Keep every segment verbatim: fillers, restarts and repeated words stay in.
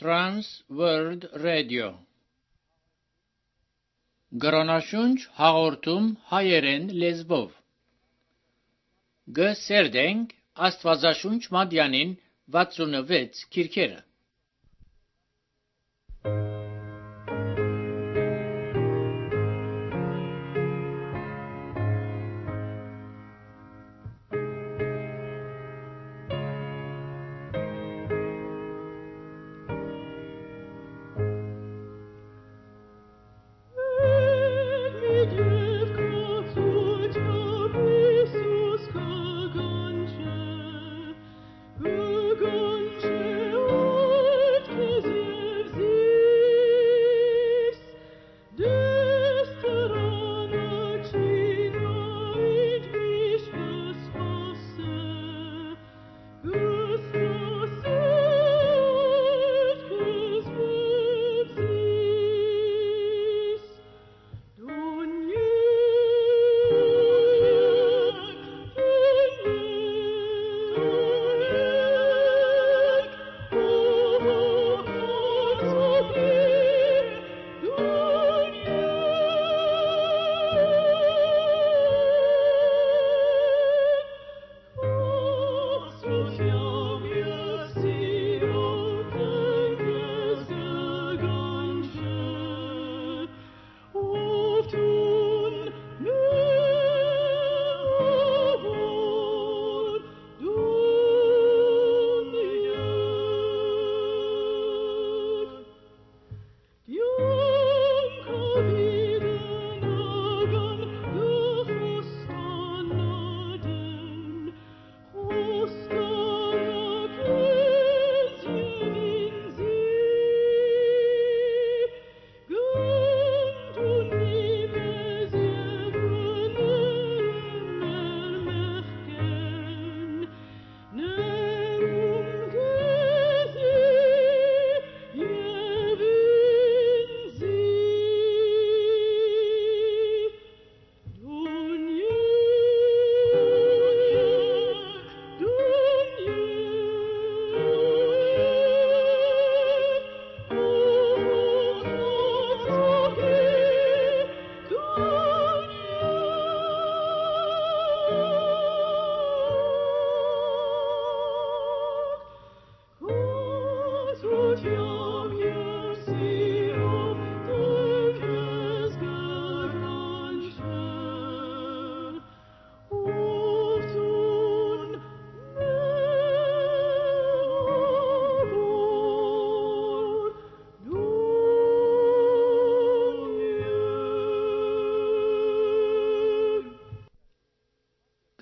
Trans World Radio Գրոնաշունչ հաղորդում հայերեն լեզվով Գսերդենք Աստվածաշունչ Մատյանին վաթսունվեց քիրքերը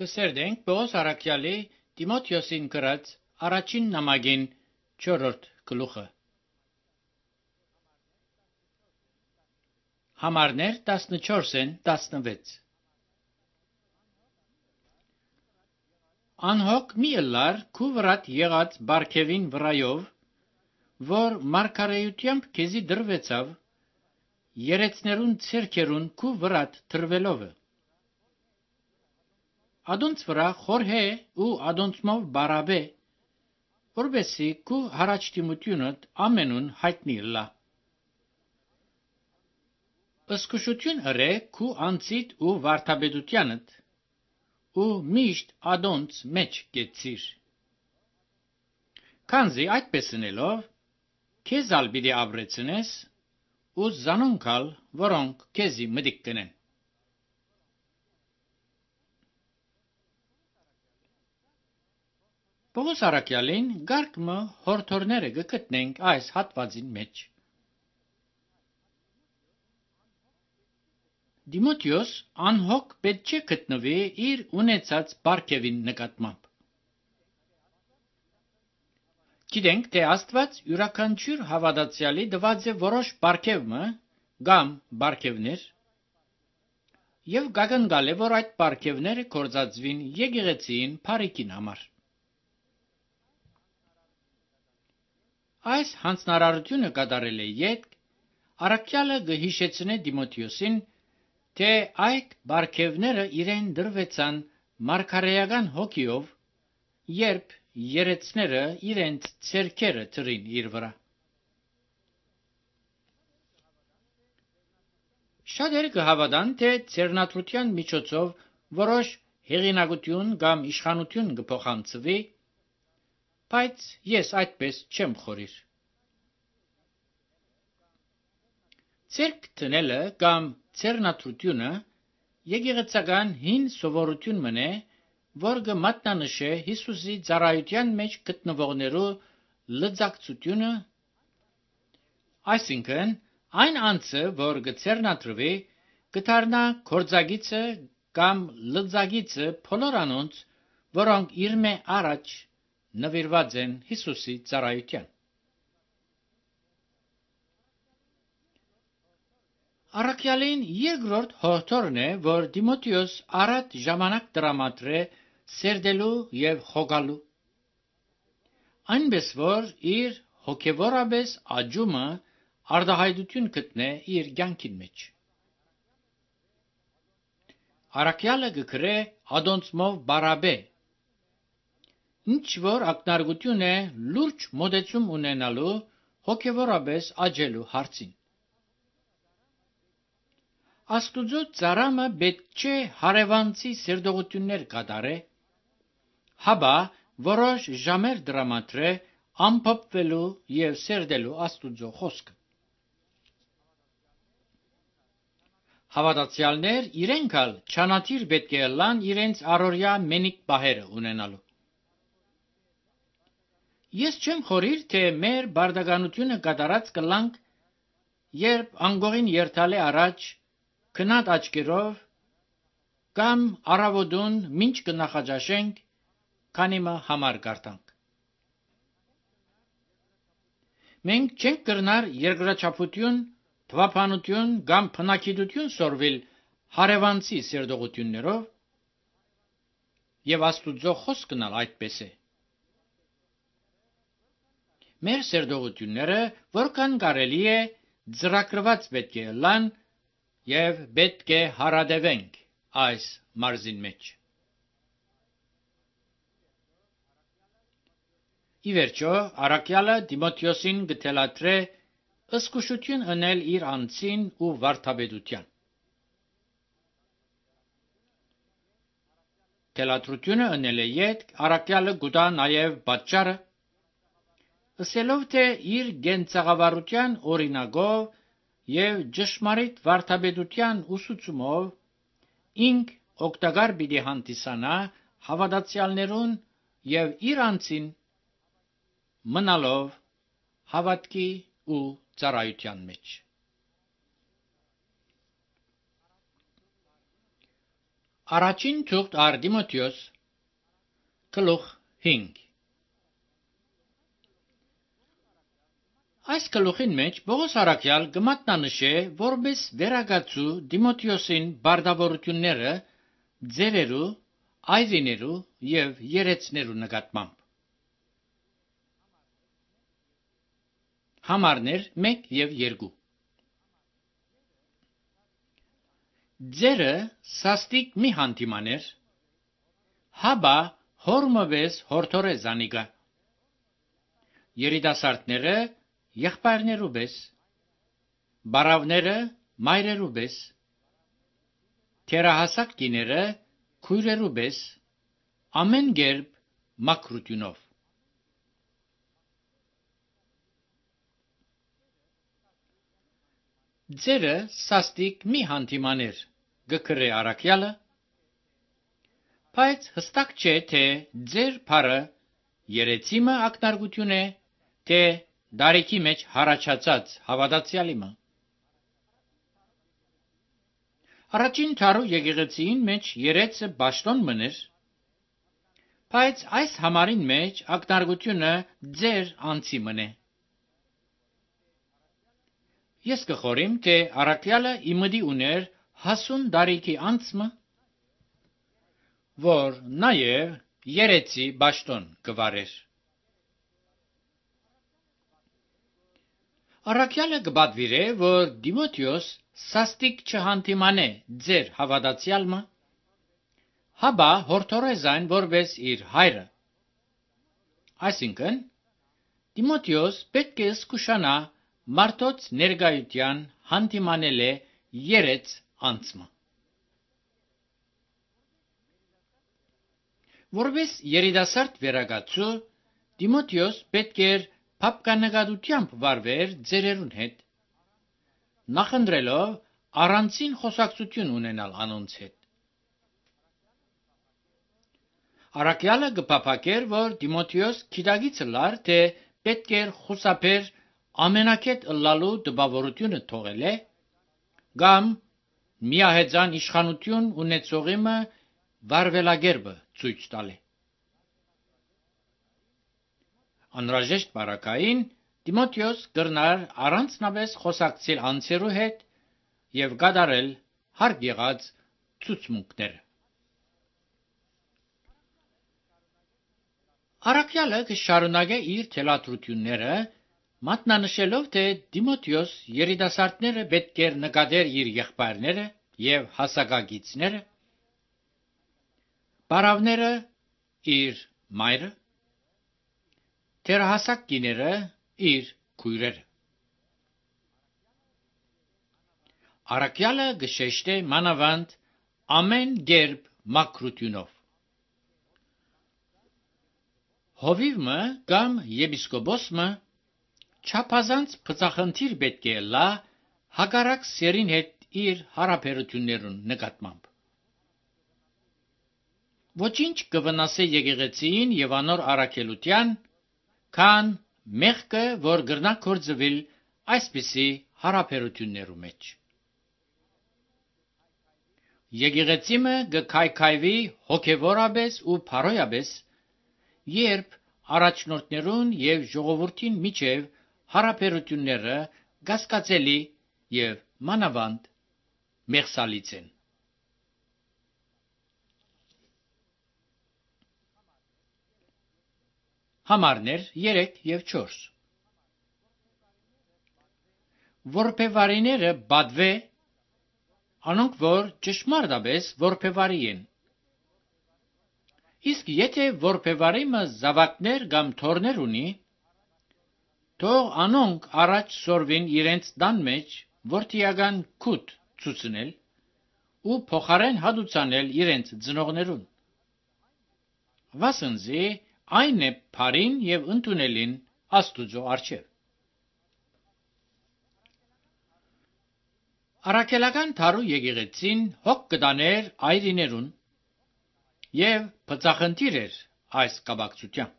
Կսերդենք Պողոս Արաքյալի Տիմոթեոսին գրած առաջին նամակին չորրորդ գլուխը Համարներ տասնչորսն տասնվեց Անհոգ մի ըլլար քու վրատ եղած բարգևին վրայով, որ մարգարեությամբ քեզի դրվեցավ, երեցներուն ցերքերուն քու վրատ թրվելովը Ադոնց վրա խորհե ու ադոնցմով բարաբե, որբեսի քու հարաճտիմությունդ ամենուն հայտնի լա։ Ըսկուշություն ըրե քու անցիդ ու վարդապետությանդ, ու միշտ ադոնց մեջ գեցիր։ Քանզի այդպես ընելով, քեզ ալ պիտի ապրեցնես, ու զանոնքալ, որոնք քեզի մտիկ կնեն։ Պողոս Արաքյալին գարկմը հորթորները գտնենք այս հատվածին մեջ։ Դիմոթեոս անհոգ պետք չէ գտնվի իր ունեցած բարգևին նկատմամբ։ Գիտենք, թե Աստված յուրաքանչյուր հավատացյալի տված է որոշ բարգևը կամ բարգևներ, եւ գագնգալ է, որ այդ բարգևները կործածվին եկեղեցին բարիքին համար։ Այս հանձնարարությունը կատարել է յետք, Արաքյալը գհիշեցնե Դիմոթեոսին, թե այդ բարգևները իրեն դրվեցան մարգարեական հոգիով, երբ երեցները իրենց ցերքերը թրին իր վրա։ Շատերը կհավատան, թե ձեռնադրության միջոցով որոշ հեղինակություն կամ իշխանություն կփոխանցվի, բայց ես այդպես չեմ խորիր։ Ձեռք դնելը կամ ձեռնադրությունը եկեղեցական հին սովորություն մնե, որ կմատնանշե Հիսուսի ծառայության մեջ գտնվողներու լծակցությունը, այսինքն այն անձը, որ կձեռնադրվի, կդառնա գործագիծը կամ լծակիցը բոլոր անոնց, որոնք իր մե առաջ նվիրված են Հիսուսի ծառայության։ Առաքյալին երկրորդ հորդորն է, որ Տիմոթեոս առատ ժամանակ տրամադրե սերդելու և խոգալու, այնպես որ իր հոգևորապես աճումը արտահայտություն գտնե իր կյանքին մեջ։ Առաքյալը կգրե ադոնցմով բարաբե, ինչ որ ակնարկություն է լուրջ մոտեցում ունենալու հոգևորապես աճելու հարցին։ Աստուծո ծառամը պետք չէ հարևանցի սերտողություններ կատարե, հապա որոշ ժամեր տրամադրե ամփոփվելու և սերդելու Աստուծո խոսքը։ Հավատացյալներ իրենք ալ չանադիր պետք է լան իրենց առօրյա մենիկ պահերը ունենալու։ Ես չեմ խորիր, թե մեր բարդականությունը կատարած կլանք, երբ անգողին երթալե առաջ քնած աչքերով կամ առավոտուն մինչ կնախաճաշենք, քանիմը համար կարդանք։ Մենք չենք կրնար երկրաչափություն, թվափանություն կամ փնագիտություն սորվել հարևանցի սերտողություններով, և Աստուծո խոսքն ալ այդպես է։ Մեր սերտողությունները որքան կարելի է ծրագրված պետք է լան և պետք է հարադևենք այս մարզին մեջ։ Ի վերջո, առաքյալը Տիմոթեոսին կթելադրե զգուշություն ընել իր անձին ու վարդապետության։ Թելադրությունը ընելը ետք առաքյալը կուտա նաև պատճառը, ասելով, թե իր կենցաղավարության օրինակով և ճշմարիտ վարդապետության ուսուցումով ինք օգտակար պիտի հանդիսանա հավատացյալներուն և իր անձին մնալով հավատքի ու ծառայության մեջ։ Առաջին թուղթ առ Տիմոթեոս, գլուխ հինգ։ Այս գլուխին մեջ Պողոս առաքյալ կմատնանշե որպես վերակացու Տիմոթեոսին բարդավորությունները ձերերու, այրիներու և երեցներու նկատմամբ։ Համարներ մեկ և երկու։ Ձերը սաստիկ մի հանդիմաներ, հապա հորմվես հորդորե զանիկա։ Երիտասարդները եղբայրներու պես, բարավները մայրերու պես, թերահասակ կիները քույրերու պես, ամեն կերպ մաքրությունով։ Ձերը սաստիկ մի հանդիմաներ, գկրե առաքյալը, բայց հստակ չէ, թե ձեր բառը երեցիմը ակնարկություն է, թե դարիքի մեջ հառաջացած հավատացյալիմը։ Առաջին դարու եկեղեցին մեջ երեցը պաշտոն մներ, բայց այս համարին մեջ ակնարկությունը ձեր անձի մնե։ Ես կխորիմ, թե առաքյալը իմդի ուներ հասուն դարիքի անձը, որ նաև երեցի պաշտոն կվարեր։ Առաքյալը կպատվիրե, որ Տիմոթեոս սաստիկ չհանդիմանե ձեր հավատացյալը, հապա հորդորե զայն որպես իր հայրը։ Այսինքն, Տիմոթեոս պետք է զգուշանա մարդոց ներկայության հանդիմանել է երեց անցմը։ Որպես երիտասարդ վերագացու, Տիմոթեոս պետք էր փափկանագադությամբ վարվեր ձերերուն հետ, նախընտրելով առանցին խոսակցություն ունենալ անոնց հետ։ Առաքյալը կփափակեր, որ Տիմոթեոս գիտագիծը լար, թե պետք էր խուսափեր ամենակետ ըլլալու տպավորությունը թողել է, կամ միահեծան իշխանություն ունեցողիմը վարվելագերբը ցույց տալ է։ Անհրաժեշտ բարակային Տիմոթեոս կրնար առանձնապես խոսակցել անձերու հետ եւ կատարել հարկ եղած ցուցմունքները։ Առաքյալը կշարունակե իր թելադրությունները, մատնանշելով, թե Տիմոթեոս երիտասարդները պետք էր նկատեր իր եղբայրները եւ հասակագիցները, բարավները իր մայրը, թերահասակ կիները իր քույրերը։ Առաքյալը գշեշտե մանավանդ ամեն գերբ մաքրությունով։ Հովիվը կամ եպիսկոպոսը չափազանց բծախնդիր պետք է լա հակառակ սերին հետ իր հարաբերություններուն նկատմամբ։ Ոչինչ կվնասե եկեղեցին եւ անոր առաքելության, քան մեղքը, որ գրնա կործվել այսպիսի հարաբերություններու մեջ։ Եկեղեցիմը գքայքայվի հոգևորապես ու փարոյապես, երբ առաջնորդներուն եւ ժողովրդին միջև հարաբերությունները կասկածելի եւ մանավանդ մեղսալից են։ Համարներ երեք եւ չորս Որբևարիները բադվե, անոնք որ ճշմարտապես որբևարի են։ Իսկ եթե որբևարիմը զավակներ կամ թորներ ունի, թող անոնք առաջ սորվին իրենց տան մեջ որդիական քուտ ցուցնել ու փոխարեն հատուցանել իրենց ծնողներուն։ Վասնզի այն է բարին եւ ընդունելին Աստուծո առջև։ Առաքելական դարու եկեղեցին հոգ կտաներ այրիներուն եւ բծախնդիր էր այս կապակցությամբ։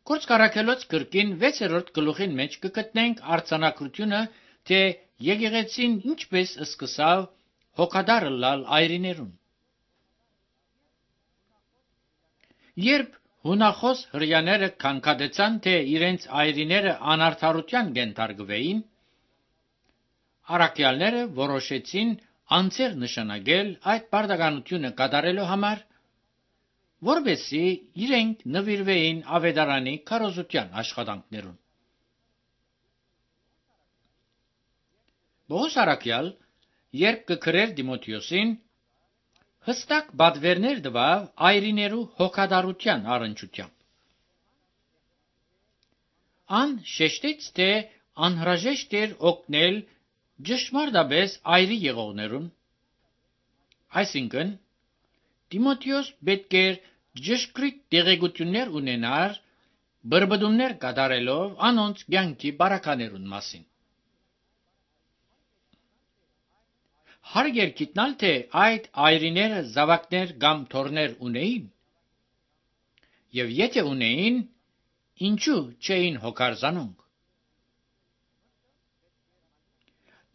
Գործք առաքելոց գրքին վեցերորդ գլուխին մեջ կգտնենք արձանագրությունը, թե եկեղեցին ինչպես սկսավ հոգադար լալ այրիներուն։ Երբ հունախոս հրյաները քանքատեցան, թե իրենց այրիները անարդարության կենթարկվեին, առաքյալները որոշեցին անձեր նշանակել այդ պարտականությունը կատարելու համար, որպեսզի իրենք նվիրվեին ավետարանի քարոզության աշխատանքներուն։ Պողոս առաքյալ, երբ կգրեր Տիմոթեոսին, հստակ պատվերներ տվավ այրիներու հոգատարության առնչությամբ։ Ան շեշտեց, թե անհրաժեշտ էր օգնել ճշմարտապես այրի եղողներուն, այսինքն Տիմոթեոս պետք էր ճշգրիտ տեղեկություններ ունենար բրբդումներ կատարելով անոնց կյանքի բարականերուն մասին։ Հարկ էր գիտնալ, թե այդ այրիները զավակներ կամ թորներ ունեին, եւ եթե ունեին, ինչու չէին հոգարզանոնք։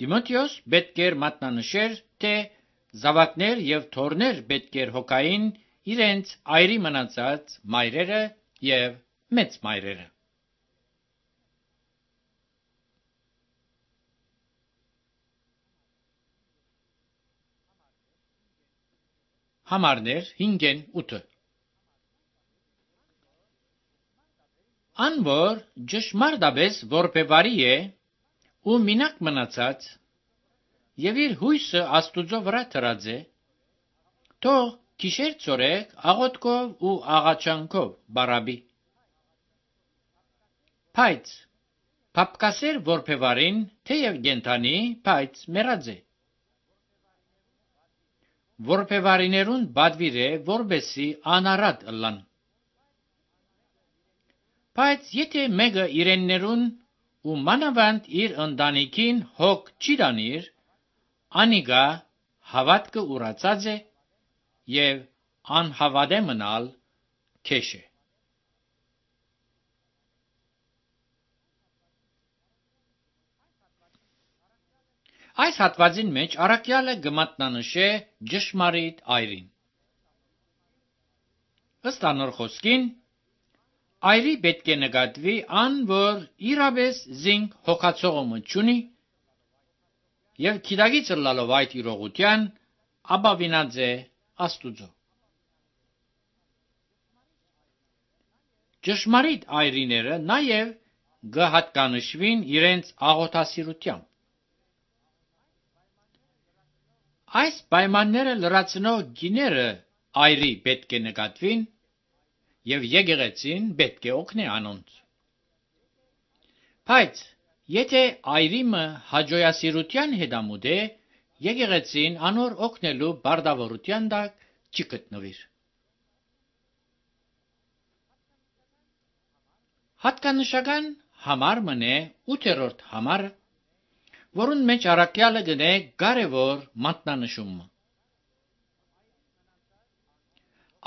Տիմոթեոս պետք էր մատնանշեր, թե զավակներ եւ թորներ պետք էր հոգային իրենց այրի մնացած մայրերը եւ մեծ մայրերը։ Համարներ հինգեն ութը Ան որ ճշմարտապես որբևարի է ու մինակ մնացած եւ իր հույսը Աստուծո վրա դրած է, թող գիշեր ծորեք աղոթքով ու աղաչանքով բարաբի։ Բայց Փապկասեր որբևարին թեև գենթանի, բայց մեռած է։ Որբևարիներուն բադվիր է, որբեսի անարատ ըլլան։ Բայց եթե մեկը իրեններուն ու մանավանդ իր ընտանիքին հոգ չի դանիր, անիգա հավատքը ուրացած է եւ անհավատ է մնալ քեշ է։ Այս հատվածին մեջ առաքյալը գմատնանշե ճշմարիտ այրին։ Ըստ անոր խոսքին, այրի պետք է նկատվի ան, որ իրավես զինք հոգացողը չունի եւ քիդագից լալով այդ իրողության ապավինած է Աստուծո։ Ճշմարիտ այրիները նաեւ գհատկանշվին իրենց աղոթասիրությամբ։ Այս պայմանները լրացնող գիները այրի պետք է նկատվին եւ եկեղեցին պետք է օգնի անոնց։ Բայց եթե այրիմը հաջողասիրության հետամուտ է, եկեղեցին անոր օգնելու բարդավորության տակ չի գտնվիր։ Հատկանշական համար մնե ութերորդ համարը, որուն մեջ առաքյալը գնե կարևոր մատնանշումը։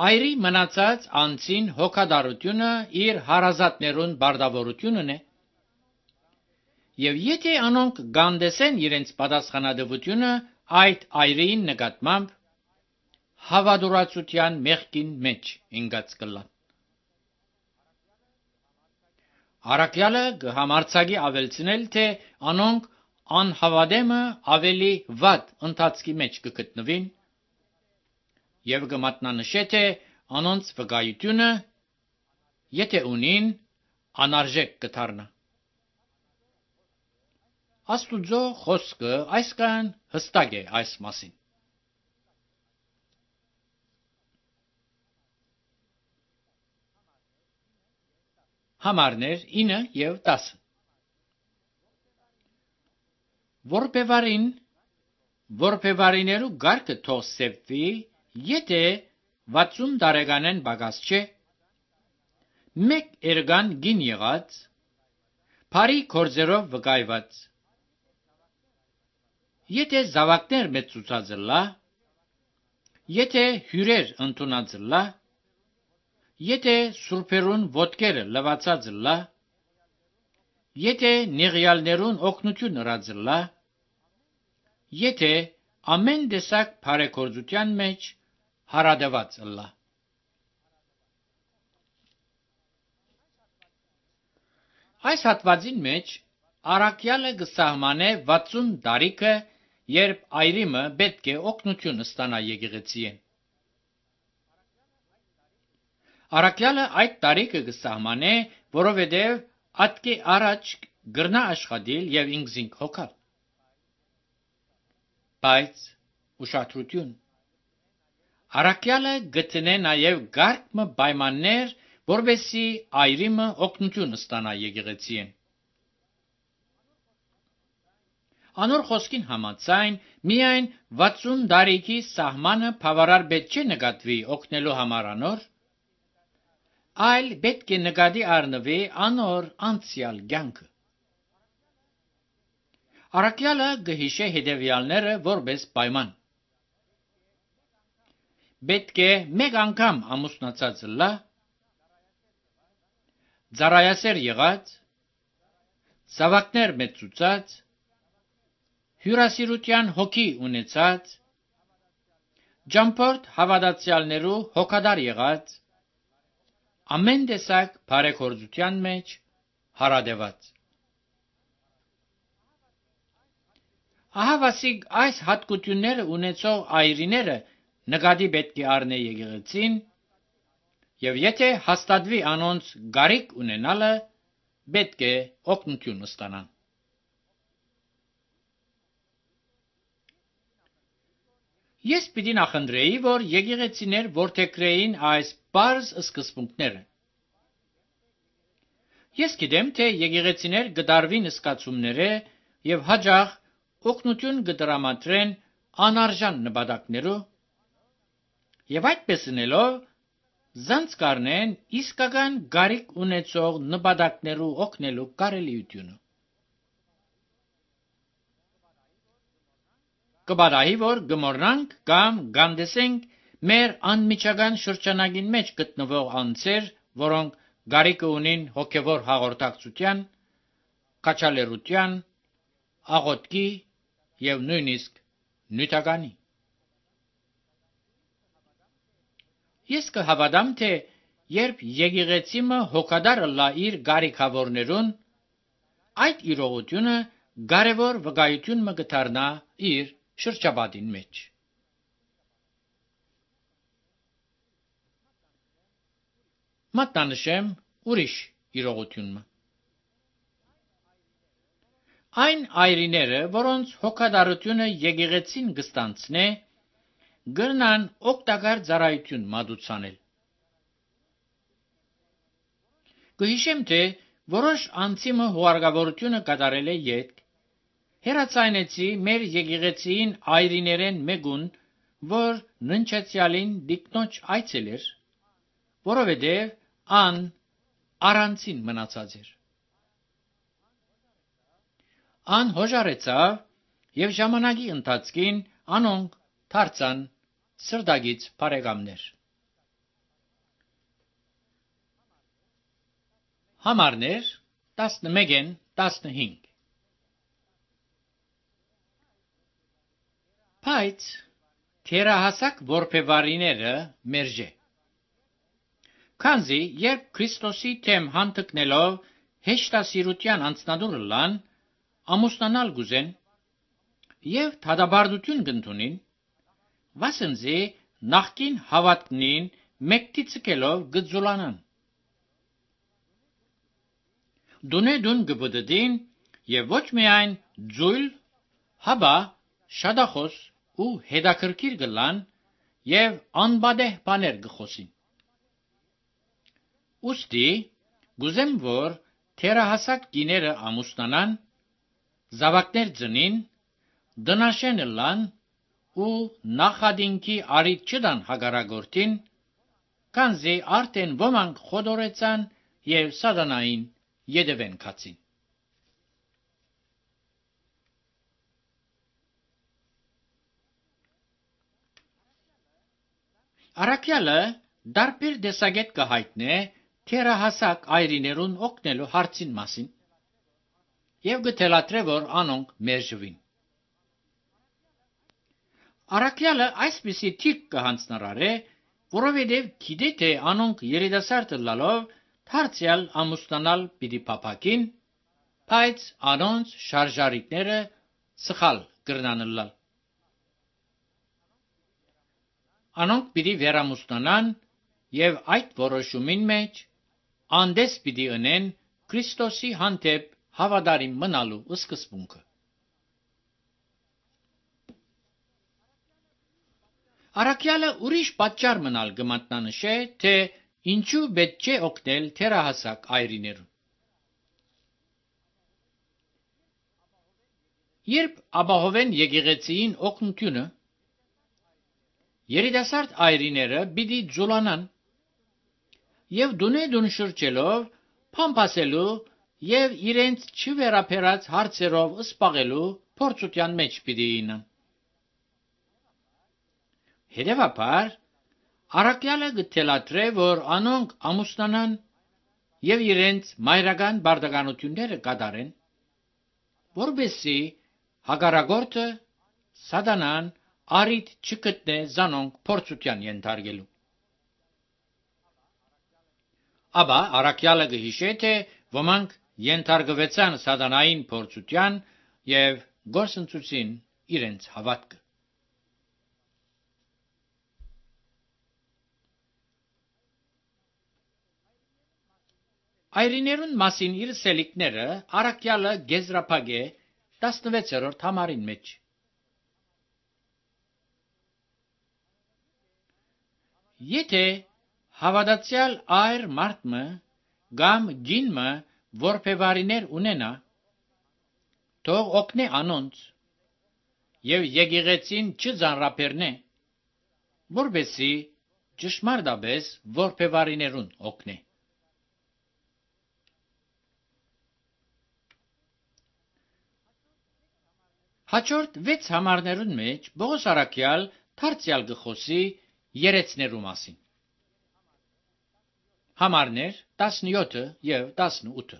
Այրի մնացած անձին հոգադարությունը իր հարազատներուն բարդավորությունն է, եւ եթե անոնք գանդեսեն իրենց պատասխանատվությունը այդ այրին նկատմամբ, հավատուրացության մեղքին մեջ ընկած կլան։ Առաքյալը կհամարձակի ավելցնել, թե անոնք անհավատեմը ավելի վատ ընթացքի մեջ կգտնվին եւ կմատնանշե, թե անոնց վկայությունը, եթե ունին, անարժեք կդառնա։ Աստուծո խոսքը այսքան հստակ է այս մասին։ Համարներ ինը եւ տասը։ Որբևարին, որբևարիներու գարկը թող սեպվի, եթե վաթսուն տարեկանեն բագաս չէ, մեկ էրգան գին եղած, բարի գործերով վկայված, եթե զավակներ մեծուցած լա, եթե հյուրեր ընդունած լա, եթե սուրբերուն ոտքերը լվացած լա, եթե նեղյալներուն օգնություն ըրած լա, եթե ամեն տեսակ բարեգործության մեջ հարադված լա։ Այս հատվածին մեջ առաքյալը կսահմանե վաթսուն տարիքը, երբ այրիմը պետք է օգնություն ստանա եկեղեցիեն։ Առաքյալը այդ տարիքը կսահմանե, որովհետև ատկե առաջ գրնա աշխատիլ եւ ինքզինք հոգալ։ Բայց ուշադրություն, առաքյալը գտնե նաեւ գարկմը պայմաններ, որովհետեւ այրիմը օգնություն ստանա եկեղեցիեն։ Անոր խոսքին համաձայն միայն վաթսուն տարիքի սահմանը բավարար պետք չէ նկատվի օգնելու համար անոր, այլ պետք է նկատի առնվի անոր անցյալ կյանքը։ Առաքյալը կհիշե հետևյալները որպես պայման։ Պետք է մեկ անգամ ամուսնացած լա, ծառայասեր եղած, զավակներ մեծուցած, հյուրասիրության հոգի ունեցած, ճամփորդ հավատացյալներու հոգադար եղած, ամեն տեսակ բարեգործության մեջ հարադեված։ Ահավասիկ այս հատկությունները ունեցող այրիները նկատի պետք է առնե եկեղեցին, եւ եթե հաստատվի անոնց գարիք ունենալը, պետք է օգնություն ստանան։ Ես պիտի նախընտրեի, որ եկեղեցիներ որդեգրեին այս բարձ սկզբունքները։ Ես գիտեմ, թե եկեղեցիներ գդարվին սկացումները եւ հաջող օգնություն կդրամատրեն անարժան նպատակներով եւ այդպես ունելով զանց կառնեն իսկական գարիք ունեցող նպատակներու օգնելու կարելիությունը։ Կբարայի որ գմորնանք կամ գանդեսենք մեր անմիջական շրջանագին մեջ գտնվող անձեր, որոնք գարիկը ունին հոգևոր հաղորդակցության, կաչալերության, աղոթքի եւ նույնիսկ նյութականի։ Ես կհավատամ, թե երբ եկեղեցիմը հոգադարը լա իր գարիքավորներուն, այդ իրողությունը կարևոր վկայություն մը կդառնա իր շրջապատին մեջ։ Մատնանշեմ ուրիշ իրողությունը։ Այն այրիները, որոնց հոգադարությունը եկեղեցին կստանցնե, գրնան օգտակար ծառայություն մատուցանել։ Կհիշեմ, թե որոշ անձիմը հուարգավորությունը կատարել է ետք, հերացայնեցի մեր եկեղեցիին այրիներեն մեկուն, որ ննչացյալին դիկնոջ այցել էր, որովհետև ան առանցին մնացած էր։ Ան հոժարեցավ եւ ժամանակի ընթացքին անոնք դարձան սրտագից բարեկամներ։ Համարներ տասնմեկն տասնհինգ Բայց թերահասակ որբևարիները մերժե։ Քանզի երբ Քրիստոսի թեմ հանդգնելով հեշտասիրության անձնադուրը լան, ամուսնանալ գուզեն եւ թադաբարդություն կընդունին, վասնզի նախկին հավատքնին մեկտի ցկելով գծուլանան։ Դունե-դուն գբդդին եւ ոչ միայն ձույլ, հաբա շադախոս ու հետաքրքիր գլան եւ անբադեհ բաներ գխոսին։ Ուստի գուզեմ, որ թերահասակ կիները ամուսնանան, զավակներ ծնին, դնաշեն լան ու նախադինքի արիթ չդան հագարագորտին, քանզի արդեն ոմանք խոդորեցան եւ սատանային յետևեն կացին։ Առաքյալը դարբեր դեսագետ կհայտնե թերահասակ այրիներուն օգնելու հարցին մասին եւ գտելատրե, որ անոնք մերժվին։ Առաքյալը այսպիսի թիք կհանձնարարե, որովհետև գիտե, թե անոնք երիտասարդ լալով դարձյալ ամուսնանալ պիտի փափակին, բայց անոնց շարժարիտները սխալ կրնան լալ։ Անոնք պիտի վերամուսնանան եւ այդ որոշումին մեջ անդես պիտի ընեն Քրիստոսի հանդեպ հավատարիմ մնալու սկզբունքը։ Առաքյալը ուրիշ պատճառ մնալ կմատնանշե, թե ինչու պետք չէ օգնել թերահասակ այրիներուն։ Երբ ապահովեն եկեղեցիին օգնությունը, երիտասարդ այրիները պիտի ձուլանան եւ դունե-դուն շրջելով փամփասելու եւ իրենց չվերապերած հարցերով սպաղելու փորձության մեջ պիտի ինան։ Հետևաբար, առաքյալը գտելատրե, որ անոնք ամուսնանան եւ իրենց մայրական բարդականությունները կատարեն, որբեսի հագարագորտը սատանան արիթ չգտնե զանոնք փորձության ենթարկելու։ Աբա առաքյալը կհիշե, թե ոմանք ենթարկվեցան սատանային փորձության եւ գործընծուցին իրենց հավատքը։ Այրիներուն մասին իր սելիկները առաքյալը գեզրափագե տասնվեցերորդ համարին մեջ։ Եթե հավատացյալ այր մարդը կամ գինը որբևարիներ ունենա, թող օգնե անոնց, եւ եկեղեցին չձանրապերնե, որբեսի ճշմարտաբես որբևարիներուն օգնե։ Հաջորդ վեց համարներուն մեջ Պողոս առաքյալ դարձյալ գխոսի երեցներու մասին։ Համարներ տասնյոթը եւ տասնութը։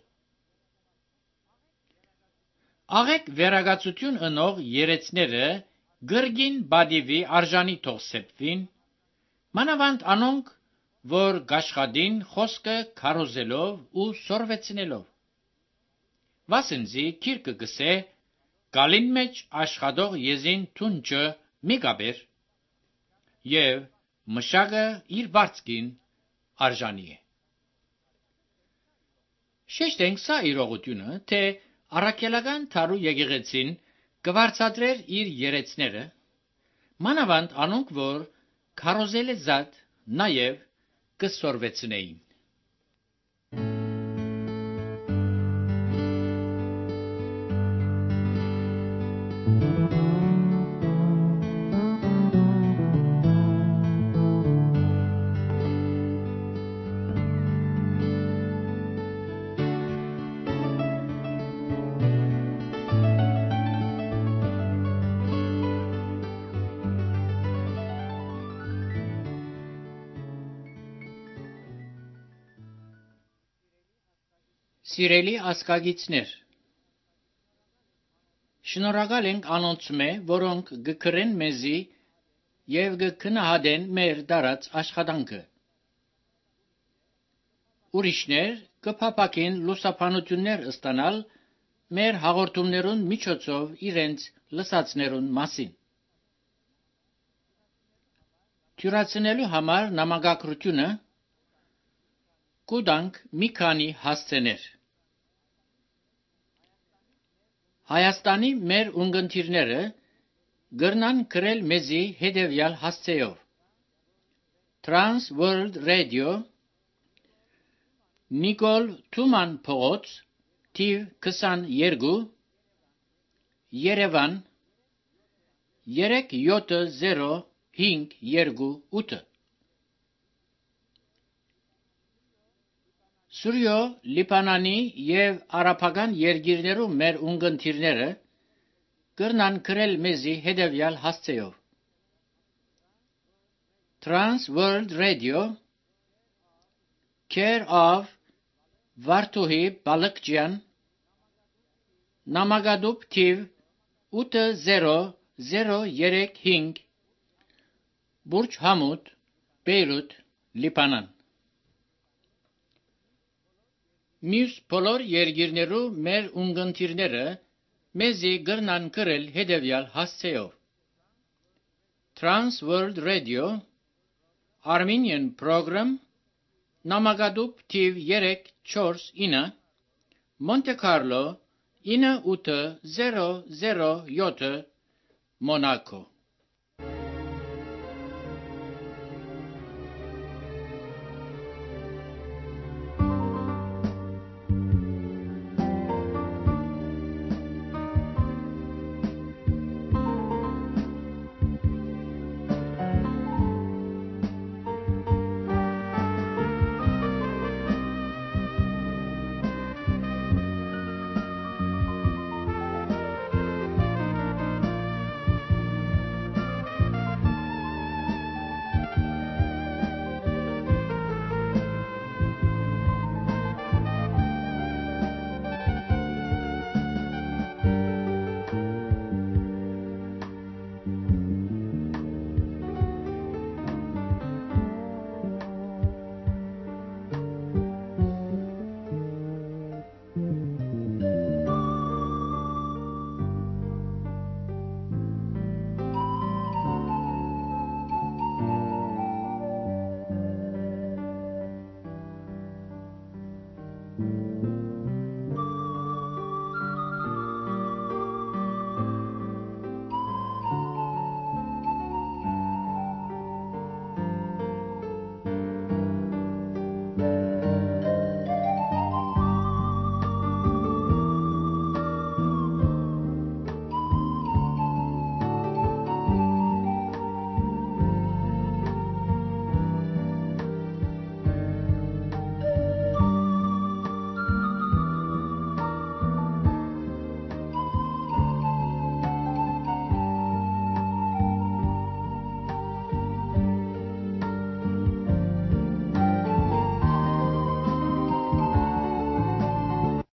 Աղեկ վերագացություն ընող երեցները գրգին բադիվի արժանի թող սեպվին, մանավանդ անոնք, որ գաշխադին խոսքը քարոզելով ու սորվեցնելով։ Վասենզի քիրքը գսե գալին մեջ աշխատող եզին թունջը մի գաբեր եւ մշակը իր բարձկին արժանի է։ Շեշտենք սա իրողությունը, թե առաքելական թարու եկեղեցին կվարձատրեր իր երեցները, մանավանդ անոնք, որ քարոզել է զատ, նաեւ կսորվեցնեին։ Սիրելի ասկագիցներ, շնորհակալ ենք անոնցմե, որոնք գկրեն մեզի եւ գքնահատեն մեր դարած աշխատանքը։ Ուրիշներ կփապակեն լուսաբանություններ ստանալ մեր հաղորդումներուն միջոցով իրենց լսածներուն մասին։ Թյուրացնելու համար նամակագրությունը կուտանք մի քանի հասցեներ։ Հայաստանի մեր ունգընտիրները գրնան գրել մեզի հետևյալ հասցեով. Trans World Radio, Նիկոլ Թուման փողոց, թիվ քսաներկու, Երևան, երեք յոթ զիրո հինգ երկու ութ։ Սուրյո Լիբանանի եւ արաբական երկիրներու մեր ունգընտիրները կրնան գրել մեզի հետևյալ հասցեով. Trans World Radio, Care of Վարդուհի Բալկջյան, Նամակադուբ թիվ ութ զիրո զիրո երեք հինգ, Բուրջ Համուդ, Բեյրութ, Լիբանան։ Մյուս բոլոր երկիրներու մեր ունգընտիրները մեզի գրնան գրել հետևյալ հասցեով. Trans World Radio, Armenian Program, Նամակադուբ թիվ երեք չորս ինը, Monte Carlo ինը ութ զիրո զիրո յոթ, Մոնակո։